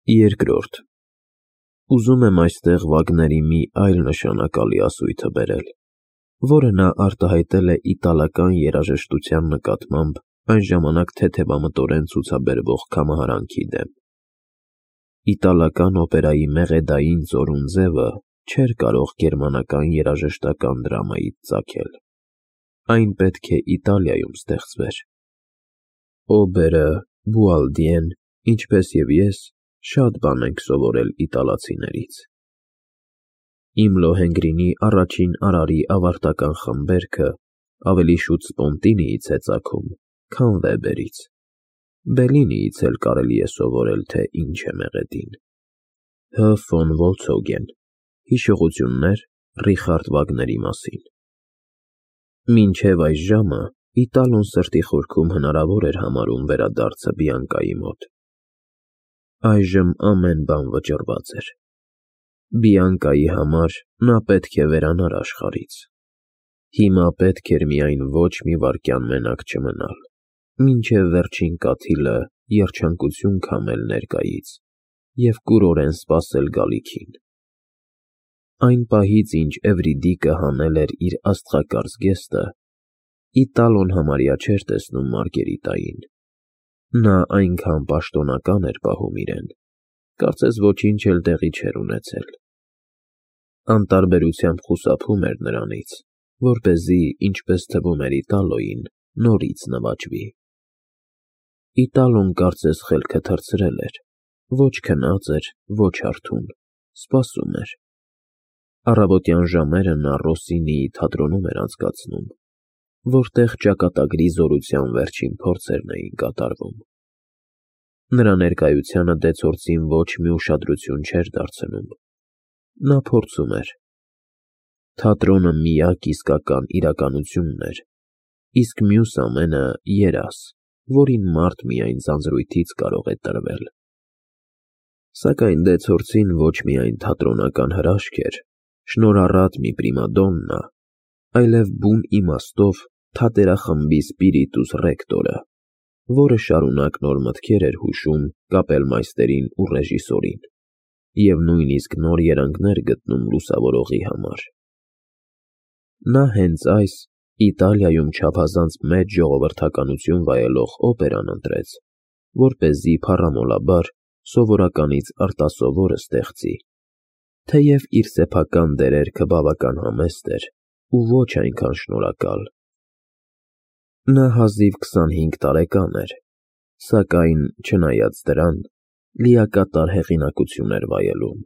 Երկրորդ. Ուզում եմ այստեղ Վագների մի այլ նշանակալի ասույթը բերել, որը նա արտահայտել է իտալական երաժշտության նկատմամբ այն ժամանակ թեթևամտորեն ցուցաբերվող կամահարանքի դեմ։ Իտալական օպերայի մեղեդային ծորուն ձևը չէր կարող գերմանական երաժշտական դրամայից ծագել։ Այն պետք է Իտալիայում ստեղծվեր։ Օբերը, Բուալդիեն, ինչպես և ես, շատ բան ենք սովորել իտալացիներից։ Իմ Լոհենգրինի առաջին արարի ավարտական խմբերքը ավելի շուտ Սպոնտինիից է ծագում, քան Վեբերից։ Բելինիից էլ կարելի է սովորել, թե ինչ է մեղեդին։ Հ. ֆոն Վոլցոգեն, Հիշողություններ Ռիխարդ Վագների մասին։ Մինչև այս ժամը Իտալոն սրտի խորքում հնարավոր էր համարում վերադարձը Բիանկայի մոտ։ Այժմ ամեն բան վճռված էր։ Բիանկայի համար նա պետք է վերանար աշխարհից։ Հիմա պետք էր միայն ոչ մի վայրկյան մենակ չմնալ, մինչև վերջին կաթիլը երջանկություն քամել ներկայից և կուրորեն սպասել գալիքին։ Այն պահից, ինչ Էվրիդիկը հանել էր իր աստղակարծ գեստը, Իտալոն համարյա չէր տեսնում Մարգերիտային։ Նա այնքան պաշտոնական էր պահում իրեն, կարծես ոչինչ էլ տեղի չէր ունեցել։ Անտարբերությամբ խուսափում էր նրանից, որպեսզի, ինչպես թվում էր Իտալոյին, նորից նվաճվի։ Իտալոն կարծես խելքը թռցրել էր, ոչ քնած էր, ոչ արթուն, սպասում էր։ Առավոտյան ժամերը նա Ռոսինիի թատրոնում էր անցկացնում, որտեղ ճակատագրի զորության վերջին փորձերն էին կատարվում։ Նրա ներկայությանը դեցորցին ոչ մի ուշադրություն չէր դարձնում։ Նա փորձում էր։ Թատրոնը միակ իսկական իրականությունն էր, իսկ մյուս ամենը երազ, որին մարդ միայն ձանձրույթից կարող է տրվել։ Սակայն դեցորցին ոչ միայն թատրոնական հրաշք էր, շնորհառատ մի պրիմադոննա, այլև բուն իմաստով թատերախմբի սպիրիտուս ռեկտորը, որը շարունակ նոր մտքեր էր հուշում կապելմայստերին ու ռեժիսորին, և նույնիսկ նոր երանգներ գտնում լուսավորողի համար։ Նա հենց այս Իտալիայում չափազանց մեծ ժողովրդականություն վայելող օպերան ընտրեց, որպեսզի փառամոլաբար սովորականից արտասովորը ստեղծի, թեև իր սեփական դերերքը բավական համեստ էր ու ոչ այնքան շնորհակալ։ Նա հազիվ 25 տարեկան էր, սակայն, չնայած դրան, լիակատար հեղինակություն էր վայելում։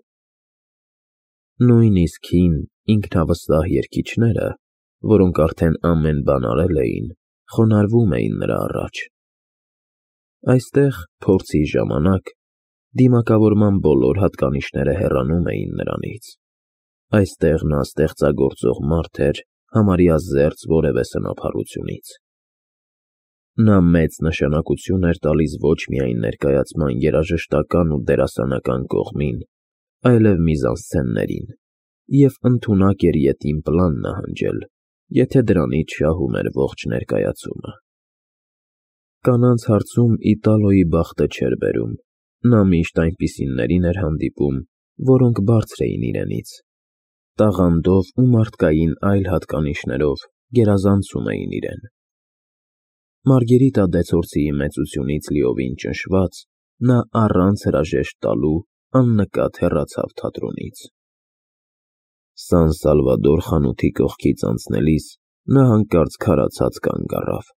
Նույնիսկ հին, ինքնավստահ երգիչները, որոնք արդեն ամեն բան արել էին, խոնարհվում էին նրա առաջ։ Այստեղ, փորձի ժամանակ, դիմակավորման բոլոր հատկանիշները հեռանում էին նրանից։ Այստեղ նա ստեղծագործող մարդ էր, համարյա զերծ որևէ սնափառությունից։ Նա մեծ նշանակություն էր տալիս ոչ միայն ներկայացման երաժշտական ու դերասանական կողմին, այլև միզանսցեններին, և ընդունակ էր ետին պլան նահանջել, եթե դրանից շահում էր ողջ ներկայացումը։ Կանանց հարցում Իտալոյի բախտը չէր բերում, նա միշտ այնպիսիներին էր հանդիպում, որոնք բարձր էին իրենից, տաղանդով ու մարդկային այլ հատկանիշներով գերազանցում էին իրեն։ Մարգերիտա դեցորցիի մեծությունից լիովին ճնշված, նա առանց հրաժեշտ տալու աննկատ հեռացավ թատրոնից։ Սան Սալվադոր խանութի կողքից անցնելիս նա հանկարծ քարացած կանգ առավ։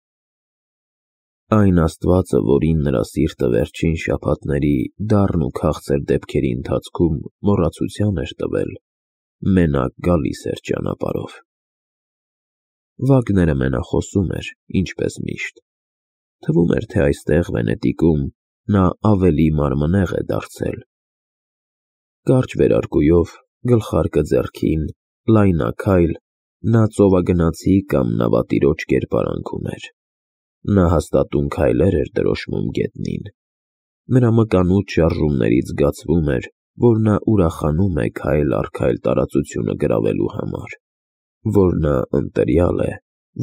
Այն Աստվածը, որին նրա սիրտը վերջին շաբաթների դառն ու քաղցր դեպքերի ընթացքում մոռացության էր տվել, մենակ գալիս էր ճանապարհով։ Վագները մենախոսում էր, ինչպես միշտ։ Թվում էր, թե այստեղ Վենետիկում նա ավելի մարմնեղ է դարձել։ Կարճ վերարկուով, գլխարկը ձեռքին, լայնաքայլ, նա ծովագնացի կամ նավատիրոջ կերպարանք ուներ։ Նա հաստատուն քայլեր էր դրոշմում գետնին։ Նրա մկանուտ շարժումներից զգացվում էր, որ նա ուրախանում է քայլ առ քայլ տարածությունը գրավելու համար, որ նա ընտրյալ է,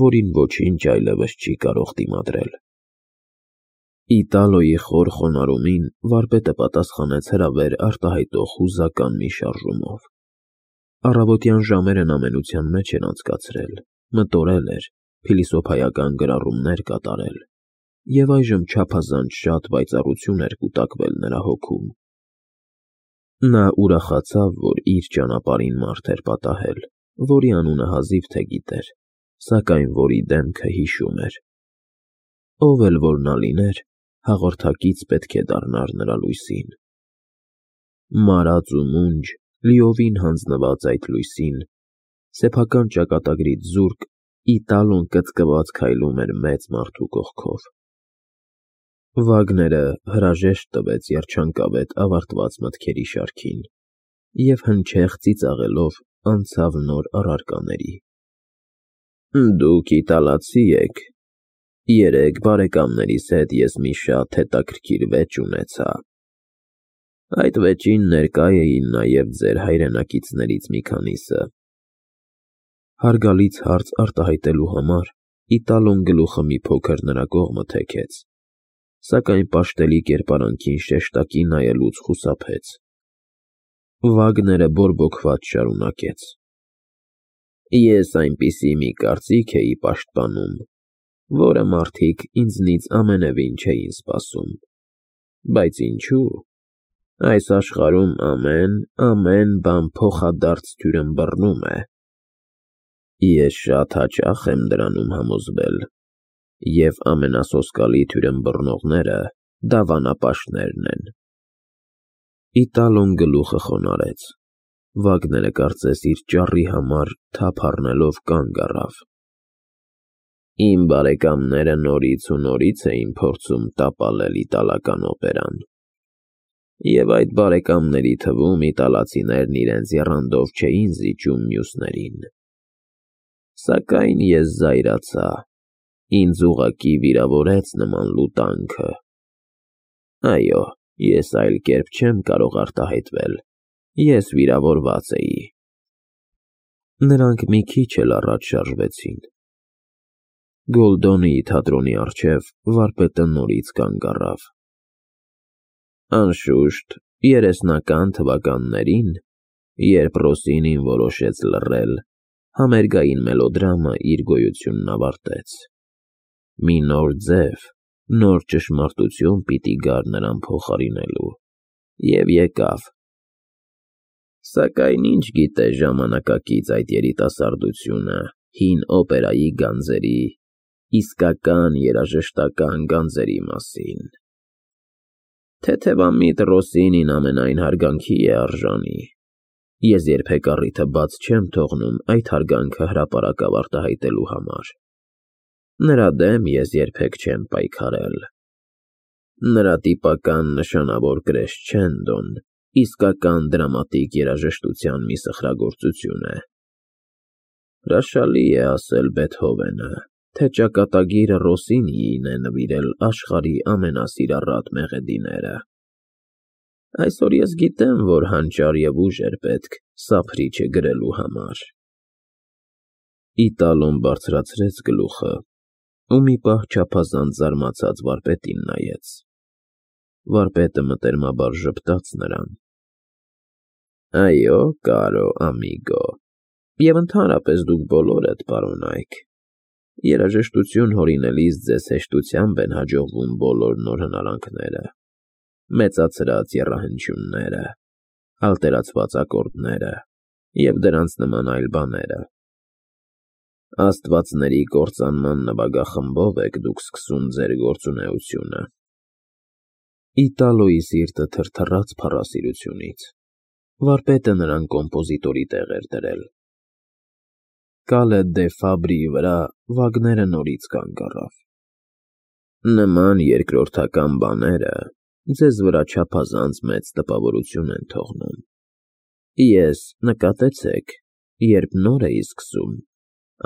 որին ոչինչ այլևս չի կարող դիմադրել։ Իտալոյի խոր խոնարհումին վարպետը պատասխանեց հրավեր արտահայտող հուզական մի շարժումով։ Առավոտյան ժամերն ամենության մեջ էր անցկացրել, մտորել էր, փիլիսոփայական գրառումներ կատարել, և այժմ չափազանց շատ պայծառություն էր կուտակվել նրա հոգում։ Նա ուրախացավ, որ իր ճանապարհին մարդ էր պատահել, որի անունը հազիվ թե գիտեր, սակայն որի դեմքը հիշում էր։ Ով էլ որ նա լիներ, հաղորդակից պետք է դառնար նրա լույսին։ Մարած ու մունջ, լիովին հանձնված այդ լույսին, սեփական ճակատագրից զուրկ, Իտալոն կծկված քայլում էր մեծ մարդու կողքով։ Վագները հրաժեշտ տվեց երջանկավետ ավարտված մտքերի շարքին և հնչեղ ծիծաղելով անցավ նոր առարկաների։ Դուք իտալացի եք։ Երեկ բարեկամներիս հետ ես մի շատ հետաքրքիր վեճ ունեցա։ Այդ վեճին ներկա էին նաև ձեր հայրենակիցներից մի քանիսը։ Հարգալից հարց արտահայտելու համար Իտալոն գլուխը մի փոքր նրա կողմը թեքեց, սակայն պաշտելի կերպարանքին շեշտակի նայելուց խուսափեց։ Վագները բորբոքված շարունակեց. Ես այնպիսի մի կարծիք էի պաշտպանում, որը մարդիկ ինձնից ամենևին չէին սպասում, բայց ինչու՞։ Այս աշխարհում ամեն բան փոխադարձ թյուրըմբռնում է։ Ես շատ հաճախ եմ դրանում համոզվել, և ամենասոսկալի թյուրըմբռնողները դավանապաշտներն են։ Իտալոն գլուխը խոնարհեց։ Վագները կարծես իր ճառի համար թափ առնելով կանգ առավ։ Իմ բարեկամները նորից ու նորից էին փորձում տապալել իտալական օպերան, և այդ բարեկամների թվում իտալացիներն իրենց եռանդով չէին զիջում մյուսներին։ Սակայն ես զայրացա, ինձ ուղղակի վիրավորեց նման լուտանքը։ Այո, ես այլ կերպ չեմ կարող արտահայտվել, ես վիրավորված էի։ Նրանք մի քիչ էլ առաջ շարժվեցին։ Գոլդոնիի թատրոնի առջև վարպետը նորից կանգ առավ։ Անշուշտ, 30-ական թվականներին, երբ Ռոսինին որոշեց լռել, համերգային մելոդրամը իր գոյությունն ավարտեց։ Մի նոր ձև, նոր ճշմարտություն պիտի գար նրան փոխարինելու, և եկավ։ Սակայն ինչ գիտե ժամանակակից այդ երիտասարդությունը հին օպերայի գանձերի, իսկական երաժշտական գանձերի մասին։ Թեթևամիտ Ռոսինին ամենայն հարգանքի է արժանի։ Ես երբեք առիթը բաց չեմ թողնում այդ հարգանքը հրապարակավ արտահայտելու համար։ Նրա դեմ ես երբեք չեմ պայքարել։ Նրա տիպական նշանավոր կրեսչենդոն իսկական դրամատիկ երաժշտության մի սխրագործություն է։ Հրաշալի է ասել Բեթհովենը, թե ճակատագիրը Ռոսինիին է նվիրել աշխարհի ամենասիրառատ մեղեդիները։ Այսօր ես գիտեմ, որ հանճար և ուժ էր պետք սափրիչը գրելու համար։ Իտալոն բարձրացրեց գլուխը ու մի պահ չափազանց զարմացած վարպետին նայեց։ Վարպետը մտերմաբար ժպտաց նրան։ Այո, կարո ամիգո, և ընդհանրապես դուք բոլորդ, պարոնայք, երաժշտություն հորինելիս ձեզ հեշտությամբ են հաջողվում բոլոր նոր հնարանքները, մեծացրած եռահանջումները, ալտերացված ակորդները և դրանց նման այլ բաները։ Աստվածների կործանման նվագախմբով եք դուք սկսում ձեր գործունեությունը։ Իտալոյի սիրտը թրթռաց փառասիրությունից։ Վարպետը նրան կոմպոզիտորի տեղ էր դրել։ Կալե դե Ֆաբրիի վրա Վագները նորից կանգ առավ։ Նման երկրորդական բաները ձեզ վրա չափազանց մեծ տպավորություն են թողնում։ Ես, նկատեցեք, երբ նոր էի սկսում,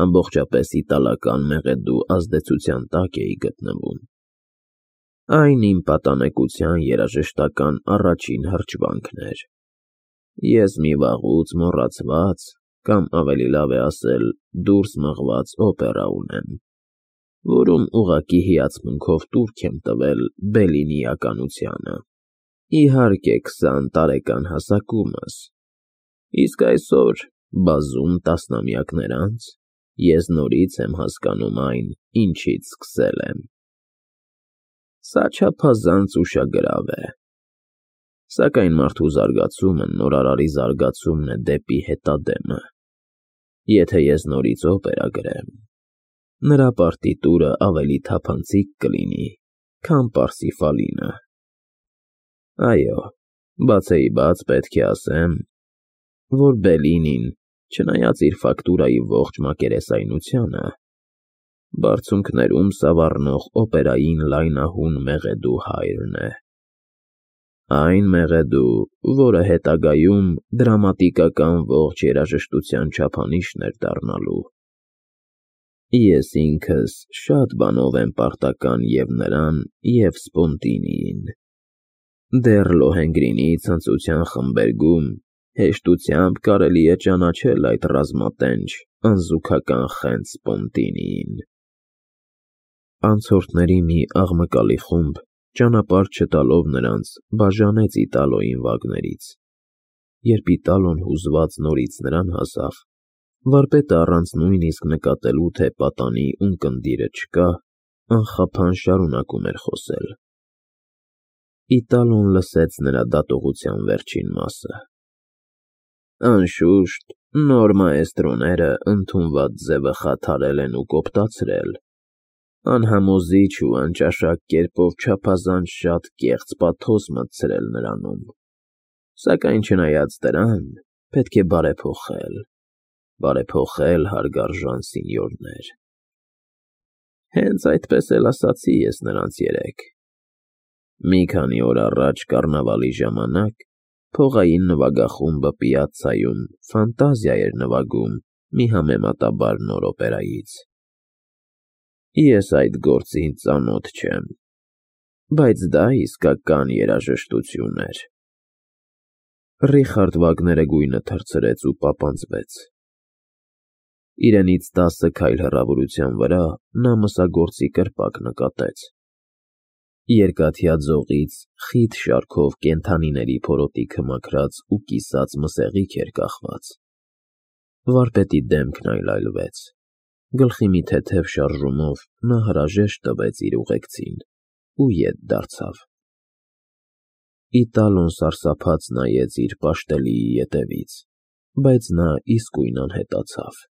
ամբողջապես իտալական մեղեդու ազդեցության տակ էի գտնվում։ Այն իմ պատանեկության երաժշտական առաջին հրճվանքն էր։ Ես մի վաղուց մոռացված, կամ ավելի լավ է ասել, դուրս մղված օպերա ունեմ, որում ուղղակի հիացմունքով տուրք եմ տվել Բելլինիականությանը։ Իհարկե 20 տարեկան հասակումս, իսկ այսօր, բազում տասնամյակներ անց, ես նորից եմ հասկանում այն, ինչից սկսել եմ։ Սա չափազանց ուշագրավ է։ Սակայն մարդու զարգացումը նորարարի զարգացումն է դեպի հետադեմը։ Եթե ես նորից օպերա գրեմ, նրա պարտիտուրը ավելի թափանցիկ կլինի, քան Պարսիֆալինը։ Այո, բացեիբաց պետք է ասեմ, որ Բելլինին, չնայած իր ֆակտուրայի ողջ մակերեսայնությանը, բարձունքներում սավառնող օպերային լայնահուն մեղեդու հայրն է։ Այն մեղեդու, որը հետագայում դրամատիկական ողջ երաժշտության չափանիշն էր դառնալու։ Ես ինքս շատ բանով եմ պարտական և նրան, և Սպոնտինիին։ Դեռ Լոհենգրինի ցնծության խմբերգում հեշտությամբ կարելի է ճանաչել այդ ռազմատենչ, անզուգական խենթ Սպոնտինիին։ Անցորդների մի աղմկալի խումբ, ճանապարհ չտալով նրանց, բաժանեց Իտալոյին Վագներից։ Երբ Իտալոն հուզված նորից նրան հասավ, վարպետը առանց նույնիսկ նկատելու, թե պատանի ունկնդիրը չկա, անխափան շարունակում էր խոսել։ Իտալոն լսեց նրա դատողության վերջին մասը։ Անշուշտ, նոր մաեստրոները ընդունված ձևը խաթարել են ու կոպտացրել, անհամոզիչ ու անճաշակ կերպով չափազանց շատ կեղծ պաթոս մտցրել նրանում, սակայն չնայած դրան, պետք է բարեփոխել, հարգարժան սինյորներ։ Հենց այդպես էլ ասացի ես նրանց երեկ։ Մի քանի օր առաջ կառնավալի ժամանակ փողային նվագախումբը Պիացցայում ֆանտազիա էր նվագում մի համեմատաբար նոր օպերայից։ Ես այդ գործին ծանոթ չեմ, բայց դա իսկական երաժշտություն էր։ Ռիխարդ Վագները գույնը թռցրեց ու պապանձվեց։ Իրենից 10 քայլ հեռավորության վրա նա մսագործի կրպակ նկատեց։ Երկաթյա ձողից խիտ շարքով կենդանիների փորոտիքը մաքրած ու կիսած մսեղիկ էր կախված։ Վարպետի դեմքն այլայլվեց։ Գլխի մի թեթև շարժումով նա հրաժեշտ տվեց իր ուղեկցին ու ետ դարձավ։ Իտալոն սարսափած նայեց իր պաշտելիի ետևից, բայց նա իսկույն անհետացավ։